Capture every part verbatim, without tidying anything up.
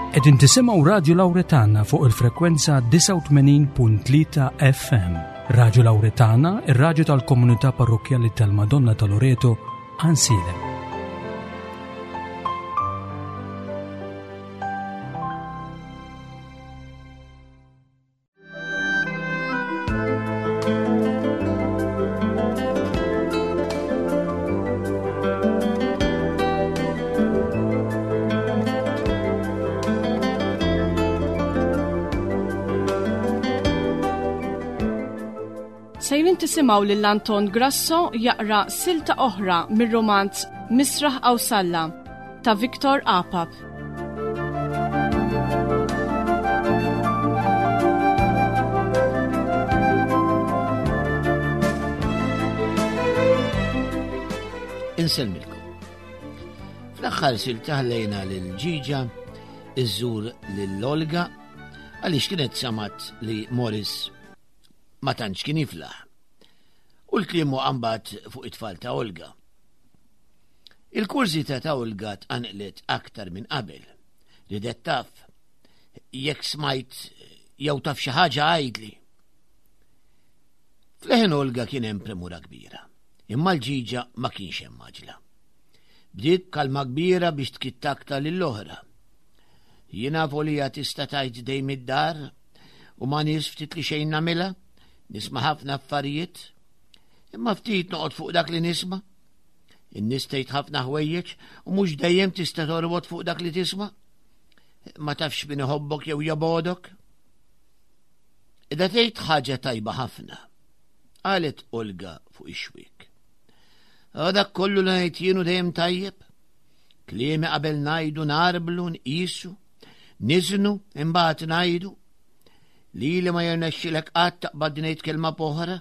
Qegħdin tisimgħu Radio Lauretana fuq il-frekwenza disgħa u tmenin punt tlieta F M. Radio Lauretana, ir-radju tal-komunità parrokkjali tal-Madonna ta' Loreto, Għajnsielem. Sejrin tisimgħu lil Anton Grasso jaqra silta oħra mir-romanz Misraħ Qawsalla ta' Victor Apap. Insellmilkom. Fl-aħħar silta ħallejna lil Ġiġa iżżur lil Olga għaliex kienet samat li Morris ma tantx kien jiflaħ. U l-kliem hu għambat fuq it-tfal ta' Olga. Il-kurżità ta' Olga tqanqlet aktar minn qabel. Ridet taf, jekk smajt jew taf xi ħaġa għidli. F'leħen Olga kien hemm premura kbira, imma l-Ġiġa ma kienx hemm għaġla. Bdiet kalma kbira biex tkittakta lill-oħra. Jiena volija tista' tgħid dejjem id-dar u ma nies ftit li xejn nagħmilha, nisma' ħafna affarijiet, imma ftit noqgħod fuq dak li nisma'. In-nies tgħid ħafna ħwejjeġ u mhux dejjem tista' torbot fuq dak li tisma'. Ma tafx min iħobbok jew jobgħodok. Idha tgħid ħaġa tajba ħafna, qalet Olga fuq ix-xwiek. Dak kollu li ngħid jien hu dejjem tajjeb. Kliemi qabel ngħidu narblu, nqisu, niżnu, imbagħad ngħidu. Lili ma jirnexxilek qatt taqbad ngħid kelma b'oħra,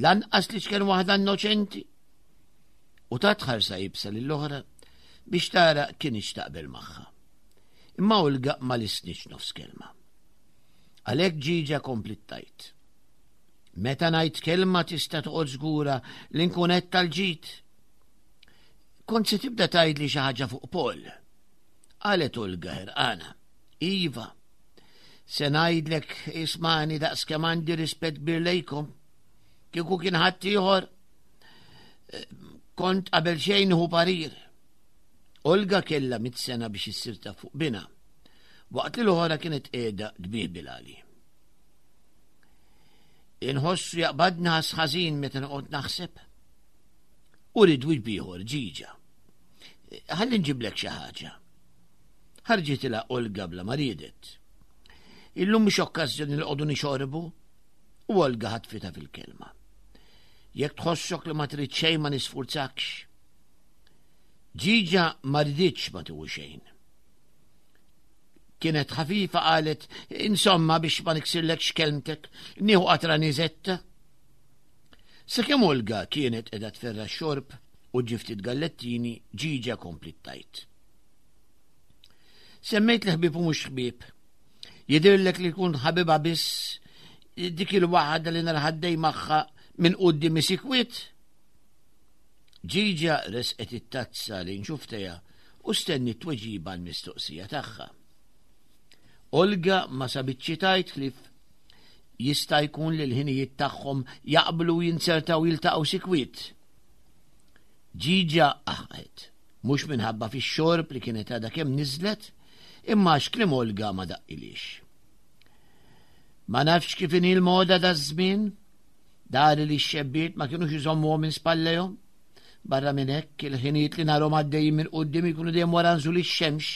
lanqas li x'kien waħda innoċenti. U tat ħarsa jibsa lill-oħra biex tara kienx taqbel magħha. Imma Olga ma lisnitx nofs kelma. Għalhekk Ġiġa komplit tajt. Meta ngħid kelma tista' toqgħod żgura li nkun qed tal-ġid. Kont se tibda tgħidli xi ħaġa fuq Paul. Qalet Olga ħerqana. Iva, se ngħidlek ismani daqs kemm għandi rispett kbir lejkom. Kieku kien ħadd ieħor, kont qabel xejn hu parir. Olga kellha mitt sena biex issir taf fuq binha, waqt li l-oħra kienet qiegħda tbih bilali. Inħossu jaqbadna ħass ħażin meta noqgħod naħseb. U rid wiċċ ieħor Ġiġa. Ħalli nġiblek xi ħaġa. Ħarġitilha Olga bla ma riedet. Illum mhux okkażjoni li qogħdu nixorbu, u Olga ħatfitha fil-kelma. Jekk tħossok li ma trid xejn ma nisfurzakx. Ġiġa ma riditx ma tieħu xejn. Kienet ħafifa qalet, insomma biex ma niksirlekx kelmtek, nieħu qatra niżetta. Sakemm Olga kienet qiegħda tferra x-xorb u ġiftit gallettini, Ġiġa komplit tajt. Semmejt li ħbieb u mhux ħbieb. Jidhirlek li jkun ħabiba biss dik il-waħda li narħaddej magħha minn quddiem isikwit. Ġiġa resqet it-tazza li nxuftejha u stenni t-tweġiba l-mistoqsija tagħha. Olga ma sabitx tgħid ħlief jista' jkun li l-ħinijiet tagħhom jaqblu jinzertaw jiltaqgħu sikwit. Ġiġa aħqet, mhux minħabba fix-xorb li kienet għadha kemm niżlet, imma għax kliem Olga ma daqqilix. Ma nafx kif inhi l-moda daż-żmien, dari li x-xebbiet ma kinux iżommuhom minn spallejhom. Barra minn hekk il-ħinijiet li narhom għaddejjin minn quddiem ikunu dejjem wara nżul ix-xemx.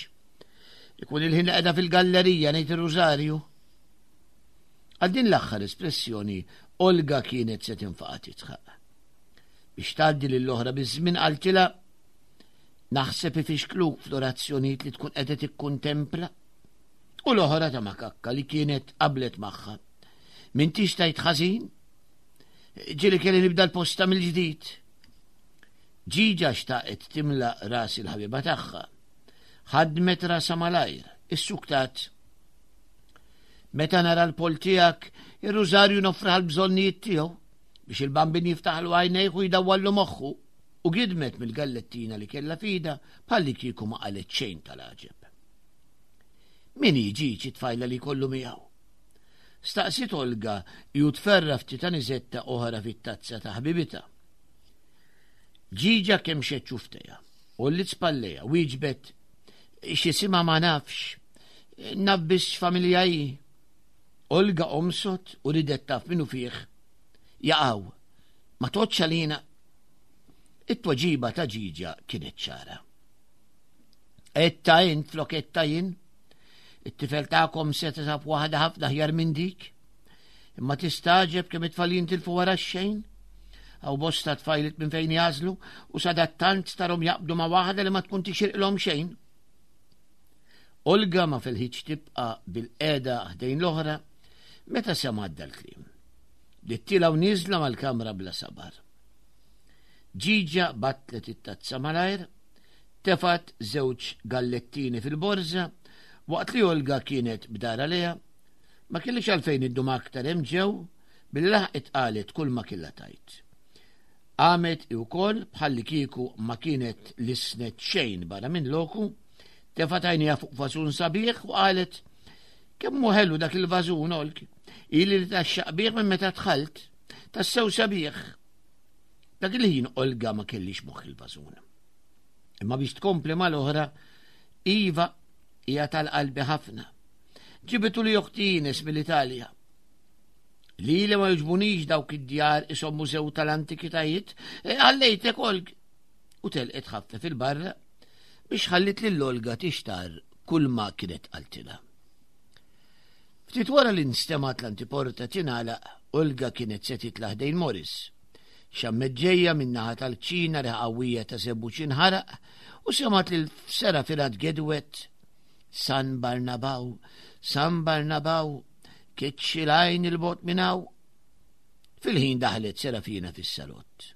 Ikun il-ħin li qiegħda fil-gallerija ngħid ir-rużarju. Għal din l-aħħar espressjoni Olga kienet se tinfaqa' tidħaq. Biex tgħaddi lill-oħra biż-żmien qaltilha naħseb ifixkluk fl-orazzjonijiet li tkun qiegħda tikkuntempla. U l-oħra ta' makakka li kienet qablet magħha. M'intix tgħid ħażin? Ġieli kelli nibda l-posta mill-ġdid. Ġiġa xtaqet timla ras il-ħabiba tagħha. Ħadmet rasha malajr, issuktat. Meta nara l-pol tiegħek, ir-rużarju nofraħ l-bżonnijiet tiegħu biex il-bambin jiftaħlu għajnejh u jdawwallu moħħu, u gidmet mill-gallettina li kellha fida bħalli kieku ma qalet xejn tal-għaġeb. Min hi Ġiġi tfajla li kollu miegħu? Staqsiet Olga ju tferra ftit aniżetta oħra fit-tazza ta' ħbibitha. Ġiġa kemm xeċċufteja, u li spalleja, wieġbet x'isimha ma nafx, naf biss x'familja hi. Olga omsot u ridet taf minnu fih. Jaqaw, ma toċċa lina. It-tweġiba ta' Ġiġa kienet ċara. Etta int flok etta jien, it-tifel tagħkom se tasab waħda ħafna ħjar minn dik. Imma tistaġeb kemm it-tfal jintilfu wara xejn. Aw bosta tfajlit minn fejn jażlu u sadattant tarhom jaqbdu ma' waħda li ma tkun tixirqilhom xejn. Olga ma felħitx tibqa' bil-qeda ħdejn l-oħra meta semgħet dal-kliem. Bdiet tielgħa u nieżla mal-kamra bla sabar. Ġiġa battlet it-tazza malajr, tefat żewġ gallettini fil-borża, waqt li Olga kienet b'dara leha, ma kellix għalfejn iddum aktar hemm ġew billi laħqet qalet kull ma kellha tajt. Għamet i wkoll bħalli kieku ma kienet lisnet xejn barra minn loku, tefat għajnejha fuq vażun sabiħ u qalet kemm hu ħelu dak il-vażun Olg, ili li taxxaq bih minn meta dħalt, tassew sabiħ. Dak il-ħin Olga ma kellix moħħ il-vażun. Imma biex tkompli mal-oħra, iva hija tal-qalbi ħafna. Ġibitu li oħti Ines mill-Italja. Li li ma jogħġbunix dawk id-djar isom mużew tal-antikitajiet, għallejtek Olg. U telqet ħafna fil-barra biex ħallit lil Olga tixtar kull ma kienet qaltilha. Ftit wara li nstemat l-antiporta tingħalaq, Olga kienet se titla' ħdejn Morris. Xammet ġejja min-naħa tal-kċina riħa qawwija ta' żebbuġ inħaraq u semat lil Serafina tgedwet San Barnabaw, San Barnabaw, kitxi l-għajn il-bot minn hawn. Fil-ħin daħlet Serafina fis-salott.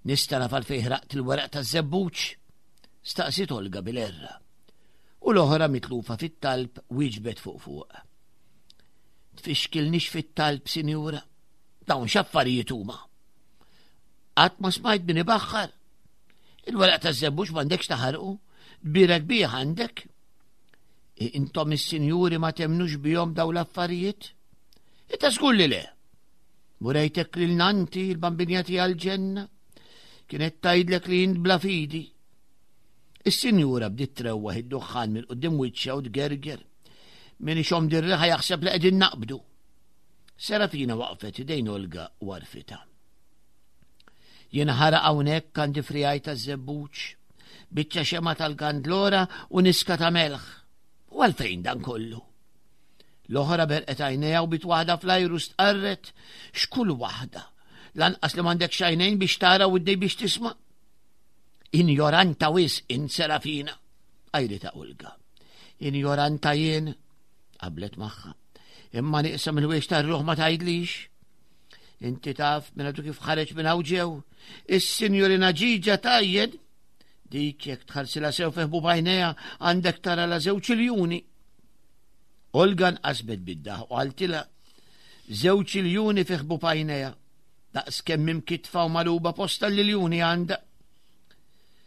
Nista' naf għalfejn ħraqt il-weraq taż-żebbuġ? Staqsiet Olga bil-erra. U l-oħra mitlufa fit-talb wieġbet fuq fuq. Tfixkilnix fit-talb, sinjura. Dawn x'affarijiet huma? Qatt ma smajt min ibaħħar. Il-weraq taż-żebbuġ m'għandekx taħarqu, tbierek bih għandek. Intom is-sinjuri ma temnux bihom daw l-affarijiet? Ita żgur li le. Murejtek lil nanti l-bambinja tiegħi għall-ġenna. Kienet tgħidlek li int bla fidi. Is-sinjura bdiet trewwaħ id-duħħan minn quddiem wiċċha u tgerger. Min ixomm dir-riħa jaħseb li qegħdin naqbdu. Serafina waqfet idejn Olga u għarfitha. Jien ħaraq hawnhekk għandi frijaj taż-żebbuġ, biċċa xema tal-gandlora u niska ta' melħ. U għalfejn dan kollu? L-oħra berqet għajnejha u bit waħda fl-ajru stqarret x'kull waħda. Lanqas li m'għandek xajnejn biex tara u id biex tisma'. Injoranta wis in Serafina, għajrita Olga. Injoranta jien, qablet magħha. Imma nieqsa mill-wiex tar-ruħ ma tgħidlix. Inti taf minn għadu kif ħareġ minn hawn ġew. Is-sinjurina Ġiġa tajjed. Dik jekk tħarsila sew fi ħbub għajnejha għandek tara la żewġ iljuni. Olga nqasbet bid-daħ u qaltilha żewġ iljuni fi ħbub għajnejha. Daqs kemm imkitfa u maluba posta l-iljuni għandha.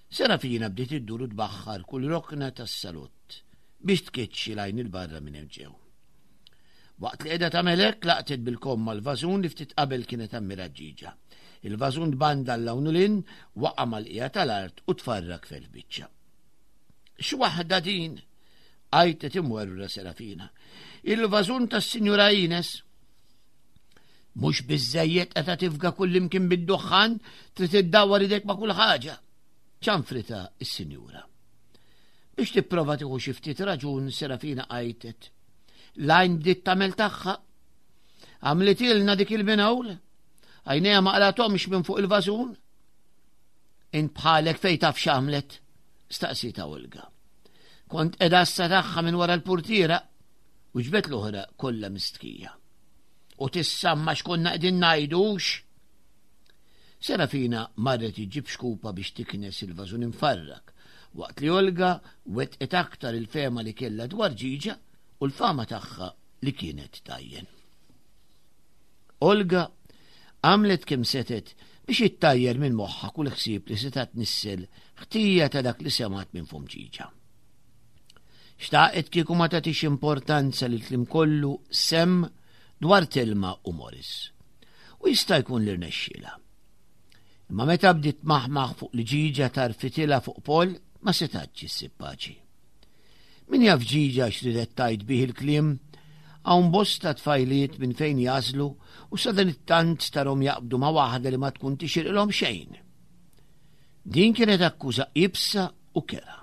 Serafina bdiet iddur u tbaħħar kull rokna tas-salott biex tkeċċi lajn il-barra minn hemm ġew. Waqt li qiegħda tagħmel hekk laqtet bil-komma l-vażun li ftit qabel kienet ammirat Ġiġa. Il-vażun tbanda l-hawn u lin, waqa' mal-qiegħa tal-art u tfarrak fil-biċċa. X'waħda din? Għajtet imwerwra Serafina. Il-vażun tas-Sinjura Ines. Mhux biżżejjed qed tifga kullimkien bid-duħħan, trid iddawwar idek ma' kull ħaġa. Ċanfrita s-sinjura. Biex tipprova tieħu xi ftit raġun, Serafina għajtet. L-għajn bdiet tagħmel tagħha. Għamlitilna dik il-minawl. Għajnejha ma qlathomx minn fuq il-vażun. Int bħalek fejn taf x'għamlet? Staqsita Olga. Kont qiegħda assa tagħha minn wara l-purtiera u ġbet l-oħra kollha mistkija. U tissamma x'konna qegħdin ngħidux. Serafina marret iġib xkupa biex tiknes il-vażun imfarrak, waqt li Olga wetqet aktar il-fema li kellha dwar Ġiġa u l-fama tagħha li kienet tajjen. Olga għamlet kemm setet biex ittajjer minn moħħa kull ħsieb li seta' tnissel ħtija ta' dak li semat minn fum Ġiġa. Xtaqet kieku ma tagħtix importanza li kliem kollu sem dwar Telma u Morris. U jista' jkun li rnexxiela. Imma meta bdiet maħmaħ fuq li Ġiġa tarfitilha fuq Paul, ma setatx issib paċi. Min jaf Ġiġa x'ridet tgħid bih il-kliem, hawn bosta tfajliet minn fejn jażlu u sadanittant tarhom jaqbdu ma' waħda li ma tkun tixirqilhom xejn. Din kienet akkuża iebsa u kerha.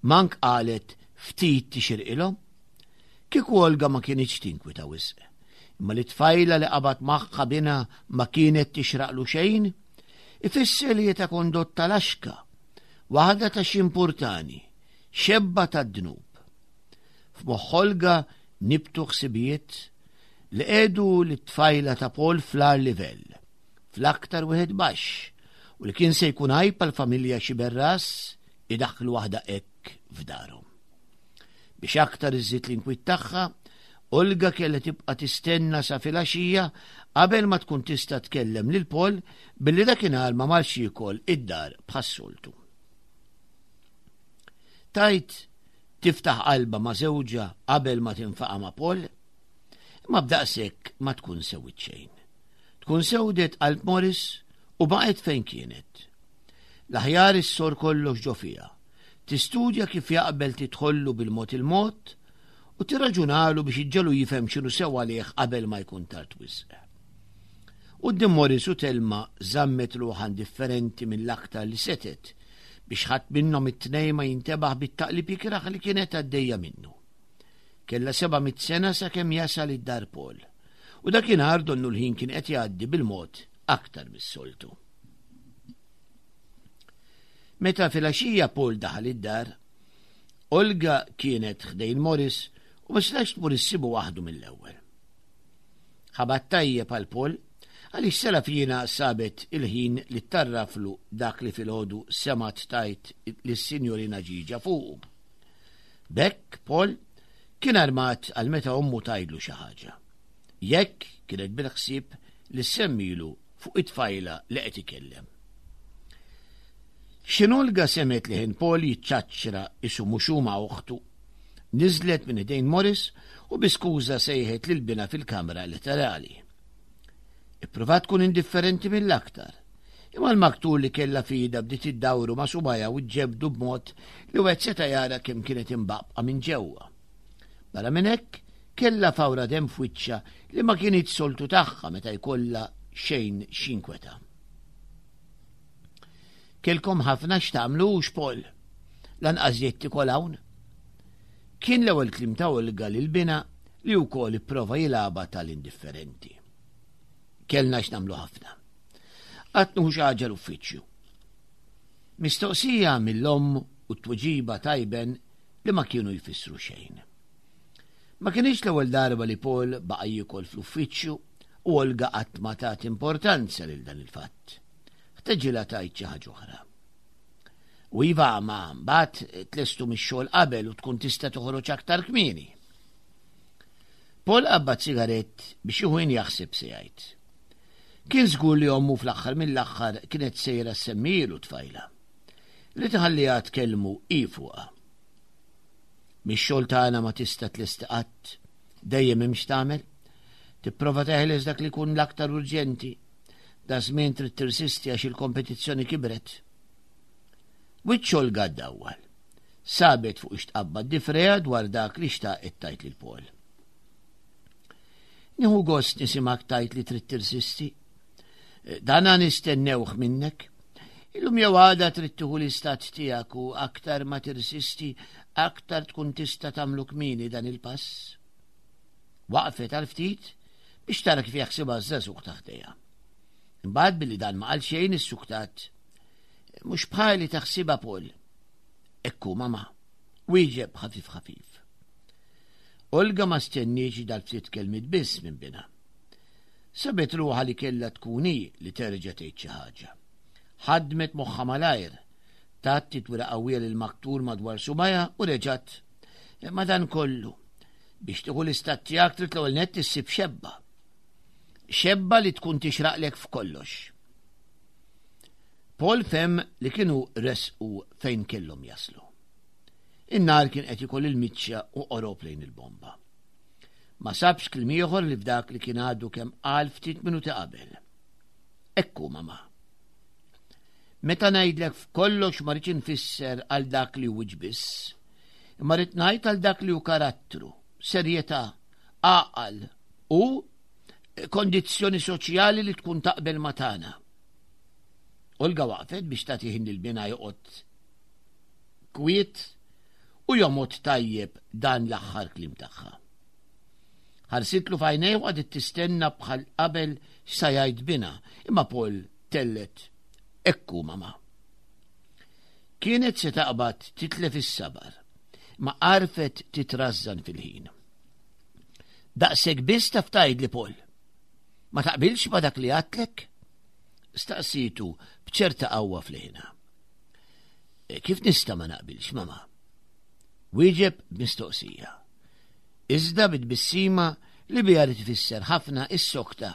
Mank qalet ftit tixirqilhom. Kieku Olga ma kienitx tinkwita wisq. Imma li tfajla li qabad magħha binha ma kienet tixraqlu xejn, ifisser li ta' kondotta laxka, waħda ta' ximpurtani, xebba ta' dnub. F'moħħ Olga nibtu ħsibijiet li qegħdu lit-tfajla ta' Paul fl-agħar livell, fl-aktar wieħed baxx, u li kien se jkun għajb għall-familja Xiberras idaħħlu waħda hekk f'darhom. Biex aktar iżżid l-inkwiet tagħha, Olga kellha tibqa' tistenna sa filgħaxija qabel ma tkun tista' tkellem lil Paul billi dakinhar ma marx jiekol id-dar bħas-soltu. Tajt tiftaħ qalba ma' żewġha qabel ma tinfaqa' ma' Paul, imma b'daqshekk ma tkun sewwit xejn. Tkun sewdet qalb Morris u baqgħet fejn kienet. L-aħjar issor kollox ġo fiha. Tistudja kif jaqbel tidħollu bil-mod il-mod u tirraġunalu biex iġġelu jifhem x'inhu sew għalih qabel ma jkun tard wisq. Quddiem Morris u Telma żammet ruħha indifferenti mill-aktar li setgħet biex ħadd minnhom it-tnejn ma jintebaħ bit-taqlib ikrah li kienet għaddejja minnu. Kellha seba' mitt sena sakemm jasal id-dar Paul, u dakinhar donnu l-ħin kien qed jgħaddi bil-mod aktar mis-soltu. Meta filgħaxija Paul daħal id-dar, Olga kienet ħdejn Morris u ma setax tmur issibu waħdu mill-ewwel. Ħabat tajjeb għal Paul għaliex Serafina sabet il-ħin li tarraflu dak li filgħodu semgħet tgħid lis-Sinjorina Ġiġa fuqu. B'hekk Paul kien armat għal meta ommu tgħidlu xi ħaġa. Jekk kienet bil-ħsieb li semmilu fuq it-tfajla li qed ikellem. X'ħin Olga semgħet li ħin Paul jiċċaċċra isu mhux hu ma' oħtu, niżlet minn idejn Morris u bi skuża sejħet lil binha fil-kamra laterali. Ippruvat tkun indifferenti mill-aktar, imma l-maktur li kellha f'idha bdiet iddawru ma' subajha u ġġebdu b'mod li wieħed seta' jara kemm kienet imbaqqa minn ġewwa. Barra minn hekk, kellha fawra demm f'wiċċha li ma kienx soltu tagħha meta jkollha xejn x'jinkweta. Kelkom ħafna x'tagħmlu hux Paul, lanqas jgħid tikol hawn. Kien l-ewwel kliem ta' Olga lil binha li wkoll ipprova jilgħabha tal-indifferenti. Kellna x'nagħmlu ħafna. Qatt nieħu xi ħaġa l-uffiċċju. Mistoqsija mill-omm u t-tweġiba tajben li ma kienu jfissru xejn. Ma kienx l-ewwel darba li Paul baqa' jiekol fl-uffiċċju u Olga qatt ma tat importanza lil dan il-fatt. Ħteġilha tgħid xi ħaġa oħra. U iva ma mbagħad tlestu mix-xogħol qabel u tkun tista' toħroġ aktar kmieni. Paul qabbad sigarett biex jieħu ħin jaħseb se jgħid. Kien żgur li ommu fl-aħħar mill-aħħar kienet sejra semmilu tfajla. Li tħalliha tkellmu hi fuqha. Mix-xogħol tagħna ma tista' tlesti qatt, dejjem hemm x'tagħmel. Tipprova teħles dak li jkun l-aktar urġenti. Da żmien trid tirsisti għax il-kompetizzjoni kibret. Wiċċ Olga ddawwal. Sabet fuq ixtqabba difreja dwar dak li xtaqet tgħid lil Paul. Nieħu gost nisimgħek tgħid li trid tirsisti. Dana nistennewh minnek. Illum jew għada trid tieħu l-istat tiegħek u aktar ma tirsisti, aktar tkun tista' tagħmlu kmieni dan il-pass. Waqfet għal ftit biex tara kif jaħsibha ż-żagħżugħ taħdejha. Imbagħad billi dan ma qal xejn issuktat. Mhux bħali taħsibha Paul. Ekku mama. Wieġeb ħafif ħafif. Olga ma stenniex dal-ftit kelmiet biss minn binha. Sabet ruħha li kellha tkun hi li terġa' tgħid xi ħaġa. Ħadmet moħħha malajr, tat titwira qawwija lil maktur madwar subajha u reġgħet. Ma dan kollu, biex tieħu l-istat tiegħek trid l-ewwel nett issib xebba. Xebba li tkun tixraqlek f'kollox. Paul fhem li kienu resqu fejn kellhom jaslu. In-nar kien qed jikol il-miċċa u qorob lejn il-bomba. Ma sabx kliem ieħor li f'dak li kien għadu kemm qal ftit minuti qabel. Ekku, mama. Meta ngħidlek f'kollox ma rridx infisser għal dak li hu biss, imma rrid ngħid għal dak li hu karattru, serjetà, għaqal u kondizzjoni soċjali li tkun taqbel ma tagħna. Olga waqfet biex tagħti ħin lil binha joqgħod kwiet u jomgħod tajjeb dan l-aħħar kliem tagħha. Ħarsitlu f'għajnejh u qagħdet tistenna bħal qabel x'sa jgħid binha, imma Paul tellet ekku mama. Kienet se taqbad titlef is-sabar, ma għarfet titrażżan fil-ħin. Daqshekk biss taf tgħidli Paul. Ma taqbilx ma dak li għedtlek? Staqsitu b'ċerta qawwa fl-ħina. E, kif nista' ma naqbilx, mama? Wieġeb b'mistoqsija. Iżda bit-tbissima li biha li tfisser ħafna is-sokta.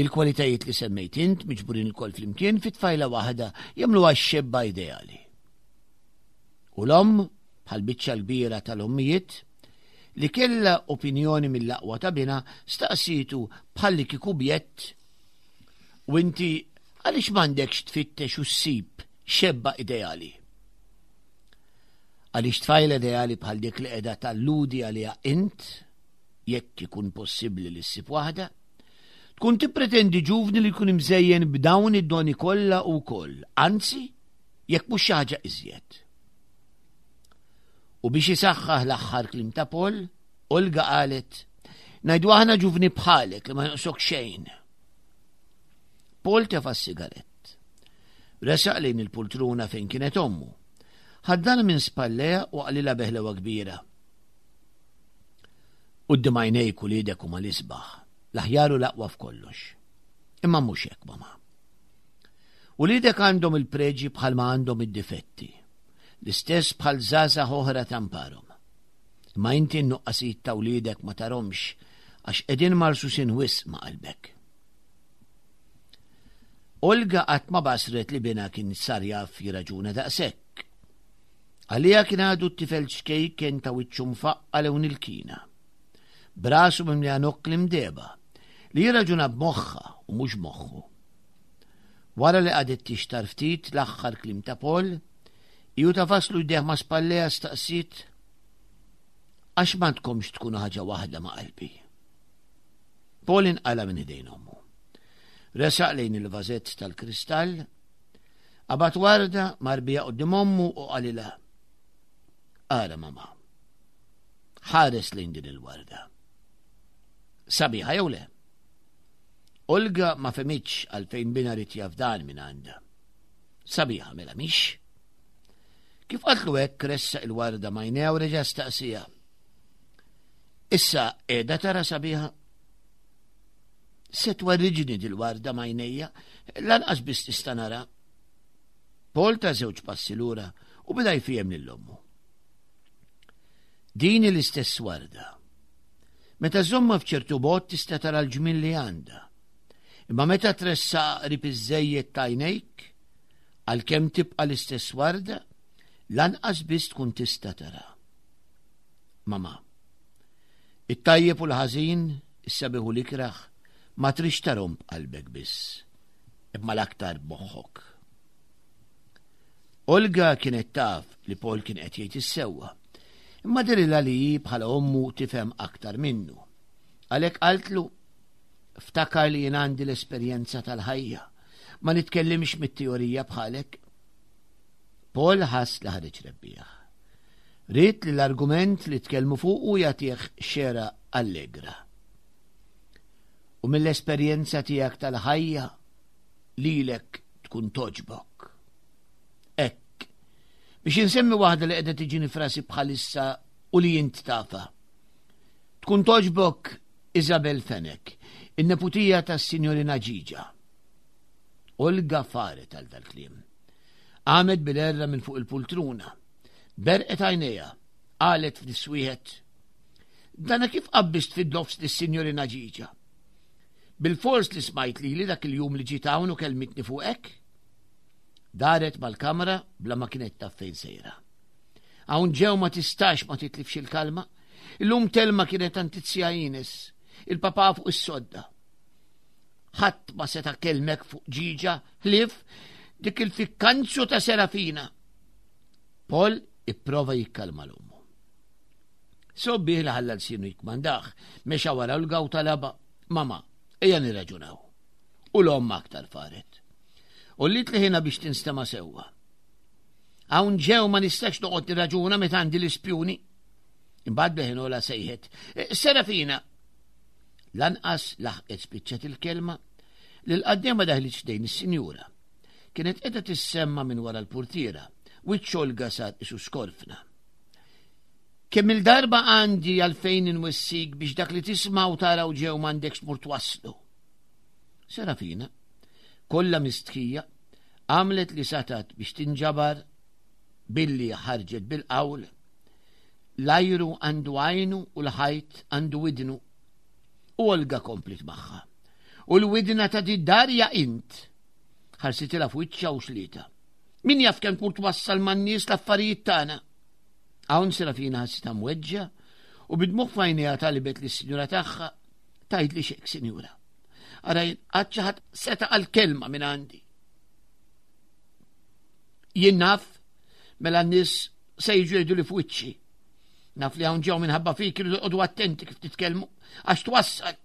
Il-kwalitajiet li semmejt int miġburin ilkoll flimkien fi tfajla waħda jagħmluha x-xebba ideali. U l-omm, bħal biċċa l-kbira tal-ommijiet, li kella opinjoni mill-aqwa ta' binha, staqsitu bħalli kieku bjett u inti għaliex m'għandekx tfittex u ssib xebba ideali? Għaliex tfajla ideali bħal dik li qiegħda talludi għaliha int, jekk ikun possibbli li ssib waħda, tkun tippretendi ġuvni li jkun imżejjen b'dawn id-doni kollha u wkoll, anzi, jekk mhux xi ħaġa iżjed. U biex isaħħaħ l-aħħar kliem ta' Paul, Olga qalet, ngħidu aħna ġuvni bħalek li ma jonqsok xejn. Paul tefa' s-sigarett. Resaq lejn il-pultruna fejn kienet ommu. Ħaddan minn spalleja u qalilha beħlewa kbira. Quddiem għajnejk uliedek huma l-isbaħ, l-aħjar u l-aqwa f'kollox. Imma mhux hekk, mama. Uliedek għandhom il-preġi bħalma għandhom id-difetti, l-istess bħal żgħażagħ oħra tamparhom. Imma inti n-nuqqasijiet ta' wliedek ma tarhomx għax qegħdin marsusin wisq ma' qalbek. Olga qatt ma basret li binha kien sar jaf jirraġuna daqshekk. Għalija kien għadu t-tifel ċkejken ta' wiċċu mfaqqa lewn il-kina. Brasu mimlija nokkli mdeba li jirraġuna b'moħħa u mhux moħħu. Wara li qagħdet tixtar ftit l-aħħar kliem ta' Paul, ju ta' faslu jdejh ma' spalleja staqsiet għax m'għandkomx tkunu ħaġa waħda ma' qalbi. Paul inqala minn idejn ommu. Resaq lejn il-vażett tal-kristall, qabad warda marbija quddiem ommu u qalilha. Ara mama, ħares lejn din il-warda. Sabiħa jew le? Olga ma fehmitx għalfejn binha rid jaf dan minn għandha. Sabiħa mela mhix? Kif qatlu hekk ressaq il-warda m'għajnejha u reġa' staqsija. Issa qiegħda tara sabiħa? Se twerriġni dil-warda m'għajnejja, lanqas biss tista' nara. Paul ta żewġ passi lura u beda jfiehem lil ommu. Din l-istess warda. Meta żomma f'ċertu bogħod tista' tara l-ġmiel li għandha. Imma meta tressaq qrib iżżejjed t'għajnejk, għalkemm tibqa' l-istess warda, lanqas biss tkun tista' tara. Mama, it-tajjeb u l-ħażin, is-sabiħ u l-ikraħ, ma trix tarhom b'qalbek biss, imma l-aktar b'moħħok. Olga kienet taf li Paul kien qed jgħid is-sewwa, imma dehrilha li hi bħala ommu tifhem aktar minnu. Għalhekk qaltlu, ftakar li jien għandi l-esperjenza tal-ħajja, ma nitkellimx mit-teorija bħalek. Paul ħass li ħareġ rebbieħ. Ried li l-argument li tkellmu fuqu jagħtih xera allegra. U mill-esperjenza tiegħek tal-ħajja lilek tkun toġbok. Hekk, biex insemmi waħda li qiegħda tiġini frasi bħalissa u li int tafa. Tkun toġbok Isabel Fenech, in-neputija tas-Sinjorina Ġiġa. Olga faret għal dal-kliem. Qamet bil-erra minn fuq il-pultruna. Berqet għajnejha, qalet f'niswieħed. Dana kif qabbist fid-dofs lis-Sinjorina Ġiġa? Bil-fors li smajt li li dak il-jum li ġiet hawn u kelmitni fuqek? Daret mal-kamra bla ma kienet taf fejn sejra. Hawn ġew ma tistax ma titlifx il-kalma. Illum Telma kienet antizja Ines, il-papa fuq is-sodda. Ħadd ma seta' kellmek fuq Ġiġa ħlief dik il-fikkanzu ta' Serafina. Paul ipprova jikkalma l-ommu. Sobbih li ħalla l-sinu jikmandaħ, mexa wara l-gaw talaba, mama, ejja nirraġunaw. U l-omm aktar faret. U li tliħina biex tinstema sewwa. Hawn ġew ma nistax noqgħod nirraġuna meta għandi l-ispjuni. Imbagħad beħinola sejħet. Serafina! Lanqas laħqet spiċċat il-kelma li l-qaddema daħlit xdejn is-sinjura. Kienet qiegħda tissemma minn wara l-portiera, wiċċ Olga sar isu skorfna. Kemm il-darba għandi għalfejn inwissik biex dak li tisma' u tara u ġew m'għandekx tmur twasslu. Serafina, kollha mistħija, għamlet li satat biex tinġabar billi ħarġet bil-qawl. L-ajru għandu għajnu u l-ħajt għandu widnu. U Olga komplit magħha. U l-widna ta' di-darja int. Ħarsitilha f'wiċċha u xlita. Min jaf kemm tmur twassal man-nies l-affarijiet tagħna. Hawn Serafina ħassitha mweġġa u bid-dmugħ f'għajnejha talbet lis-sinjura tagħha tgħid li xek, sinjura. Ara qatt xi ħadd seta' għal kelma minn għandi. Jien naf mela n-nies se jiġu jgħidu li f'wiċċi. Naf li hawn ġew minħabba fik iridu joqogħdu attenti kif titkellmu għax twassal.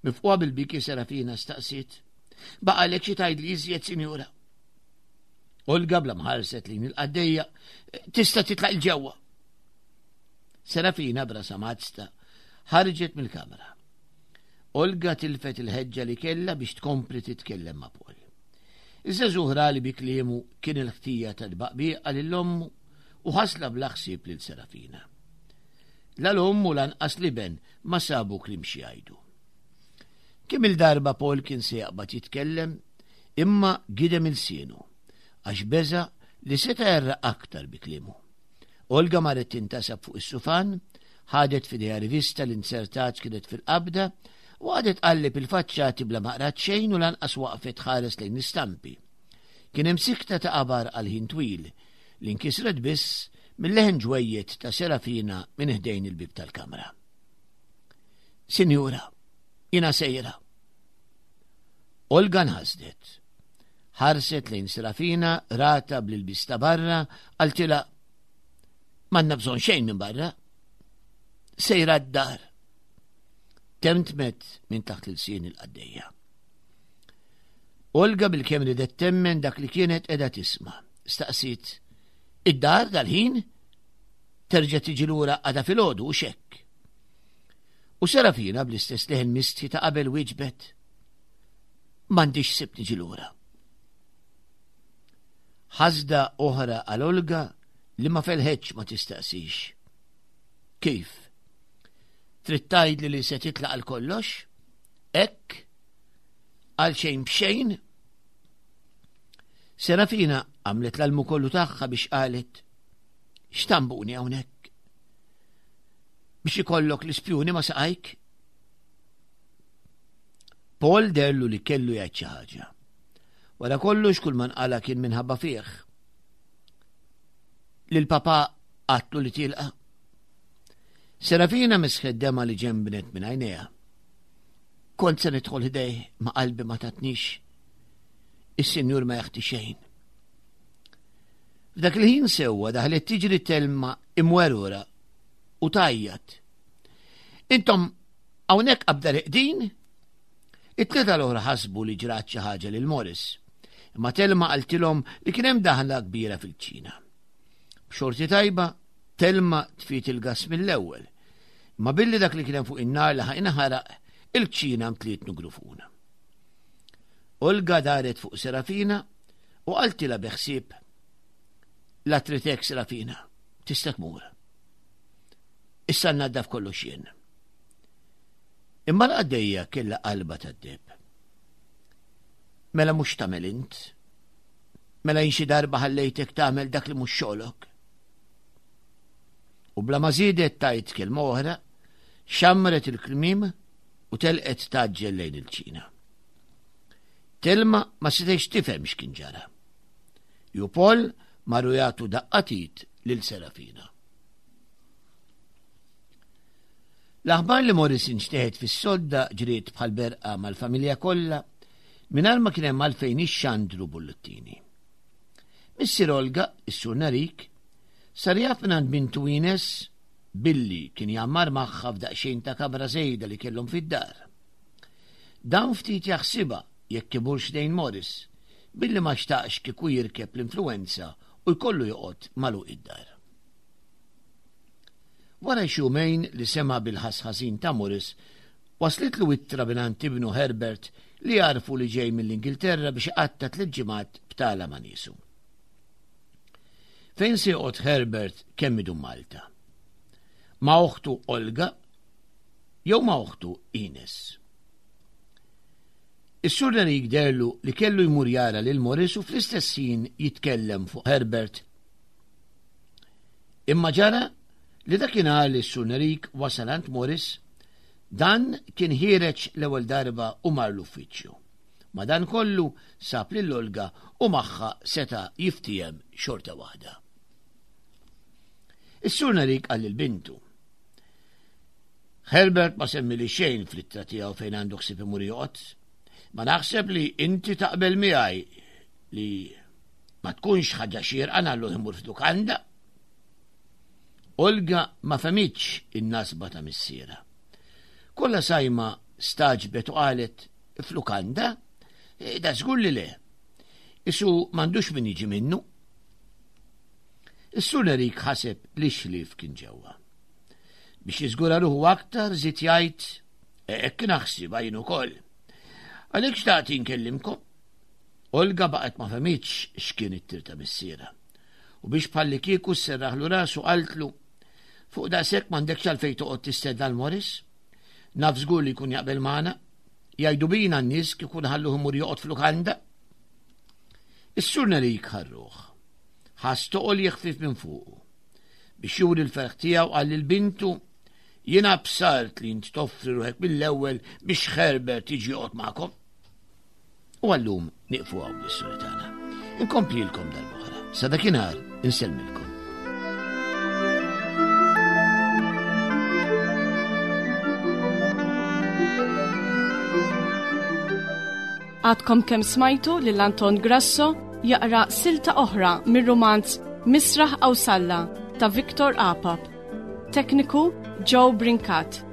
Mifquha bil-biki Serafina staqsiet. Baqalek xi tgħidli iżjed, sinjura. Olga bla mħarset lejn il-qaddejja tista' titlaq il-ġewwa. Serafina brasa mazta ħarġet mill-kamra. Olga tilfet il-ħeġġa li kellha biex tkompli titkellem ma' Paul. Iż-żagħżugħ li bi kliemu kien il-ħtija ta' tbaqbiqa lil ommu u ħasla bla ħsieb lil Serafina. La l-omm u lanqas l-iben ma sabu kliem xi jgħidu. Kemm il-darba Paul kien se jaqbad jitkellem, imma gidem il-sienu għax beża li seta' jerra aktar bi kliemu. Olga marret tintasab fuq is-sufan, ħadet f'idejha rivista li insertat kienet fil-qabda u għadet tqalleb il-faċċati bla ma qrat xejn u lanqas waqfet ħares lejn l-istampi. Kien hemm sikta ta' qabar għal ħin twil li nkisret biss mill-leħen ġwejjed ta' Serafina minn ħdejn il-bib tal-kamra. Sinjura, jiena sejra. Olga nħasdet. Ħarset lejn Serafina, rata bl-ilbis ta' barra, qaltilha m'għandna bżonn xejn minn barra. Sejra d-dar. Temtmet minn taħt il-sien il-qaddejja. Olga bil-kemm ridet temmen dak li kienet qiegħda tisma'. Staqsiet, id-dar dal-ħin? Terġa' tiġi lura għada filgħodu u xekk. U Serafina bl-istess leħen mistħi ta' qabel wieġbet, m'għandix sib niġi lura. Ħasda oħra għal Olga li ma felħetx ma tistaqsix. Kif? Trid tgħidli li se titlaq għal kollox? Hekk? Għal xejn b'xejn? Serafina għamlet l-almu kollu tagħha biex qalet, x'tambuni hawnhekk? Biex ikollok l-ispjuni ma saqajk? Paul derlu li kellu jgħid xi ħaġa. Wara kollox kull ma nqala kien minħabba fih. Lil papa qatlu li tilqa. Serafina misħet dema li ġembnet minn għajnejha. Kont se nidħol ħdejh ma qalbi ma tatnix. Is-sinjur ma jaħti xejn. F'dak il-ħin sewwa daħlet tiġri Telma imwerura u tajjat. Intom hawnhekk qabda reqdin? It-tlieta l-oħra ħasbu li ġrat xi ħaġa lil Morris. Imma Telma qaltilhom li kien hemm daħla kbira fil-ċina. B'xorti tajba, Telma tfit il-gas mill-ewwel. Imma billi dak li kien hemm fuq in-nar laħaq inħaraq, il-kċina mtliet nugrufuna. Olga daret fuq Serafina u qaltilha bi ħsieb, la tritek Serafina, tista' tmur. Issa naddaf kollox jien. Imma l-qaddejja kellha qalba tad-deb. Mela mhux tagħmel int. Mela jien xi darba ħallejtek tagħmel dak li mhux xogħlok. U bla ma żiedet tajt kelma oħra, xammret il-klmim u telqet taġġel lejn il-ċina. Telma ma setgħetx tifhem x'kien ġara. Ju Paul marru jagħtu daqqatit lil Serafina. L-aħbar li Morris inxteħet fis-sodda ġriet bħal berqa mal-familja kollha mingħajr ma kien hemm għalfejn ixxandru bullettini. Missier Olga, is-Sur Narik, sar jaf mingħand bintu Ines billi kien jgħammar magħha f'daqsxejn ta' kamra żejda li kellhom fid-dar. Dan ftit jaħsibha jekk imurx lejn Morris, billi ma xtaqx kieku jirkeb l-influwenza u jkollu joqgħod magħluq id-dar. Wara xi jumejn li sema' bil-ħass ħażin ta' Morris, waslitlu ittra mingħand ibnu Herbert li għarfu li ġej mill-Ingilterra biex iqatta' tliet ġimgħat btala ma' niesu. Fejn se joqgħod Herbert kemm idum Malta? Ma' oħtu Olga jew ma' oħtu Ines? Is-Sur Nerik derlu li kellu jmur jara lil Morris u fl-istess ħin jitkellem fuq Herbert. Imma ġara li dakinhar li s-Sur Nerik wasal għand Morris, dan kien ħiereġ l-ewwel darba u mar l-uffiċċju. Madankollu sab lil Olga u magħha seta' jiftiehem xorta waħda. Is-Sur Nerik qal lil bintu, Herbert ma semmili xejn fl-ittra tiegħu fejn għandu ħsieb imur joqgħod. Ma naħseb li inti taqbel miegħi li ma tkunx ħaġa xierqa nagħlluh imur f'lukanda. Olga ma fehmitx in-nasba ta' missierha. Kollha sajma staġbet u qalet f'lukanda? E, da żgur li le. Isu m'għandux min jiġi minnu. Is-Sur Erik ħaseb li xlif kien ġewwa. Biex jiżgura ruħu aktar żied jgħid e, hekk naħsibha jien ukoll. Għalhekk xtaqt inkellimkom. Olga baqgħet ma fehmitx x'kien it-tir ta' missierha. U biex bħallikieku sserraħlu rasu qaltlu fuq daqshekk m'għandekx għalfejn toqgħod tistenna l-Morris. Naf żgur li jkun jaqbel magħna. Jgħidu bina n-nies kieku nħalluh imur joqgħod f'lukanda. Is-Sur Nerik ħarruh. Ħass toqol jeħfif minn fuqu. Biex juri l-ferħ tiegħu qal lil bintu jiena bsart li int toffri ruħek mill-ewwel biex Herbert jiġi joqgħod magħkom. U għallum nieqfu hawn bl-istorja tagħna. Inkomplilkom darb'oħra. Sa dakinhar insellmilkom. Għadkom kemm smajtu lil Anton Grasso jaqra silta oħra mir-rumanz Misraħ Qawsalla ta' Victor Apap. Tekniku Joe Brincat.